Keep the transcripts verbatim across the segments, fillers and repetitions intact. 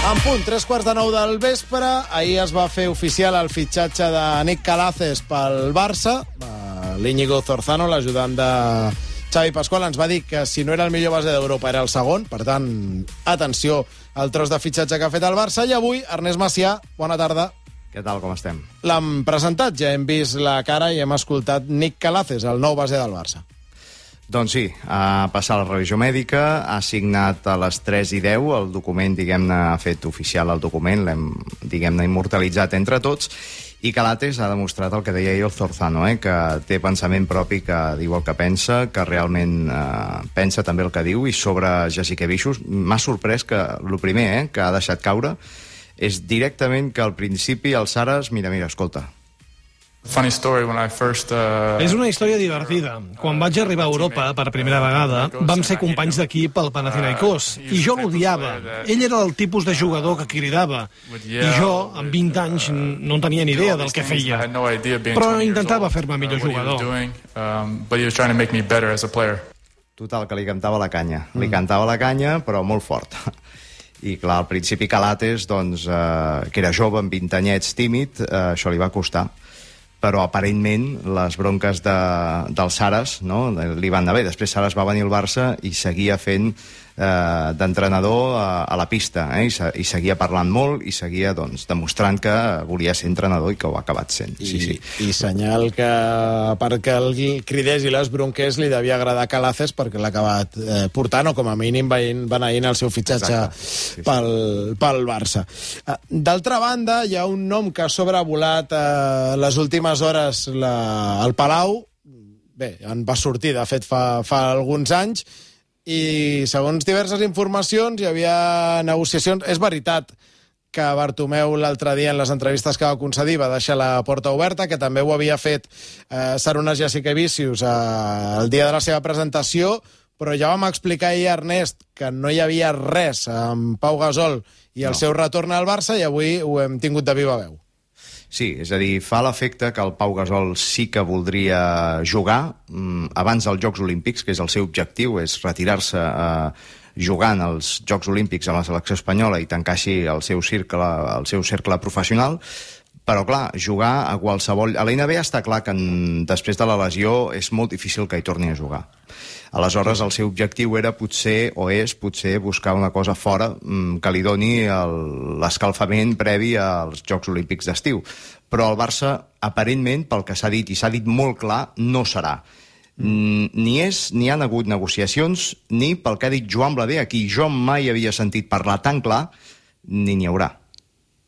En punt, tres quarts de nou del vespre, ahir es va fer oficial el fitxatge de Nick Calaces pel Barça. L'Íñigo Zorzano, l'ajudant de Xavi Pasqual, ens va dir que si no era el millor base d'Europa era el segon. Per tant, atenció al tros de fitxatge que ha fet el Barça. I avui, Ernest Macià, bona tarda. Què tal, com estem? L'hem presentat, ja hem vist la cara i hem escoltat Nick Calaces, el nou base del Barça. Doncs sí, ha passat la revisió mèdica, ha signat a les tres i deu el document, diguem-ne, ha fet oficial el document, l'hem, diguem-ne, immortalitzat entre tots, i Calaces ha demostrat el que deia ahir el Zorzano, eh, que té pensament propi, que diu el que pensa, que realment eh, pensa també el que diu, i sobre Jasikevičius m'ha sorprès que, el primer eh, que ha deixat caure, és directament que al principi el Saras, mira, mira, escolta, Funny story, when I first, uh... És una història divertida. Quan vaig arribar a Europa per primera vegada, vam ser companys d'equip al Panathinaikos, i jo l'odiava. Ell era el tipus de jugador que cridava, i jo, amb vint anys, no en tenia ni idea del que feia. Però intentava fer-me millor jugador. Total, que li cantava la canya. Li cantava la canya, però molt fort. I clar, al principi Calaces, doncs, eh, que era jove, amb vint anyets, tímid, eh, això li va costar. Però aparentment les bronques de, del Saras, no, li van anar bé. Després Saras va venir al Barça i seguia fent eh, d'entrenador a, a la pista, eh, i, se, i seguia parlant molt i seguia doncs, demostrant que volia ser entrenador i que ho ha acabat sent. I, sí, sí. I senyal que perquè el cridés i les bronques li devia agradar Calaces, perquè l'ha acabat eh, portant, o com a mínim beneint el seu fitxatge sí, sí. Pel, pel Barça. D'altra banda, hi ha un nom que ha sobrevolat eh, les últimes hores la, al Palau. Bé, en va sortir, de fet, fa, fa alguns anys, i segons diverses informacions hi havia negociacions. És veritat que Bartomeu l'altre dia en les entrevistes que va concedir va deixar la porta oberta, que també ho havia fet eh, Sarunas Jasikevičius eh, el dia de la seva presentació, però ja vam explicar ahir, Ernest, que no hi havia res amb Pau Gasol i el no. seu retorn al Barça, i avui ho hem tingut de viva veu. Sí, és a dir, fa l'efecte que el Pau Gasol sí que voldria jugar mm, abans dels Jocs Olímpics, que és el seu objectiu, és retirar-se eh, jugant als Jocs Olímpics amb la selecció espanyola i tancar així el seu cercle, el seu cercle professional. Però, clar, jugar a qualsevol... A la N B A està clar que en... després de la lesió és molt difícil que hi torni a jugar. Aleshores, el seu objectiu era potser, o és potser, buscar una cosa fora mmm, que li doni l'escalfament previ als Jocs Olímpics d'estiu. Però el Barça, aparentment, pel que s'ha dit, i s'ha dit molt clar, no serà. Mm, ni és, ni han hagut negociacions, ni pel que ha dit Joan Blader, a qui jo mai havia sentit parlar tan clar, ni n'hi haurà.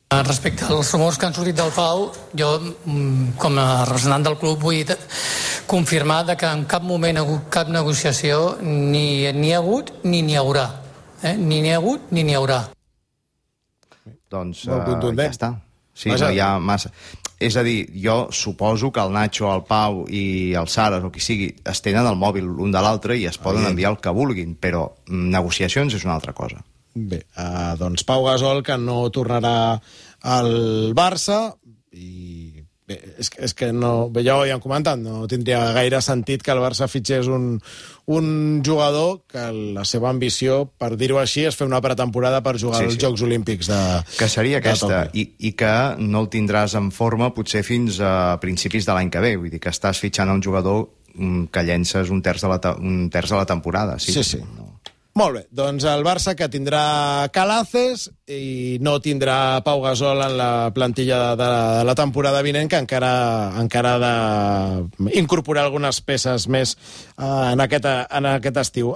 Respecte als rumors que han sortit del Pau, jo, com a representant del club, vull confirmar que en cap moment ha hagut cap negociació, ni n'hi ha hagut ni n'hi haurà. Eh? Ni n'hi ha hagut ni n'hi haurà. Doncs uh, ja està. Sí, no hi ha massa... És a dir, jo suposo que el Nacho, el Pau i el Saras, o qui sigui, es tenen el mòbil l'un de l'altre i es poden enviar el que vulguin, però negociacions és una altra cosa. Bé, eh, doncs Pau Gasol, que no tornarà al Barça, i bé, és, és que no, bé, ja ho havíem comentat, no tindria gaire sentit que el Barça fitxés un, un jugador que la seva ambició, per dir-ho així, és fer una pretemporada per jugar sí, als sí. Jocs Olímpics de que seria aquesta, i, i que no el tindràs en forma potser fins a principis de l'any que ve, vull dir que estàs fitxant un jugador que llences un terç de la, un terç de la temporada. Sí, sí. sí. No. Molt bé, doncs el Barça que tindrà Calaces i no tindrà Pau Gasol en la plantilla de, de la temporada vinent, que encara, encara ha d'incorporar algunes peces més uh, en, aquest, en aquest estiu.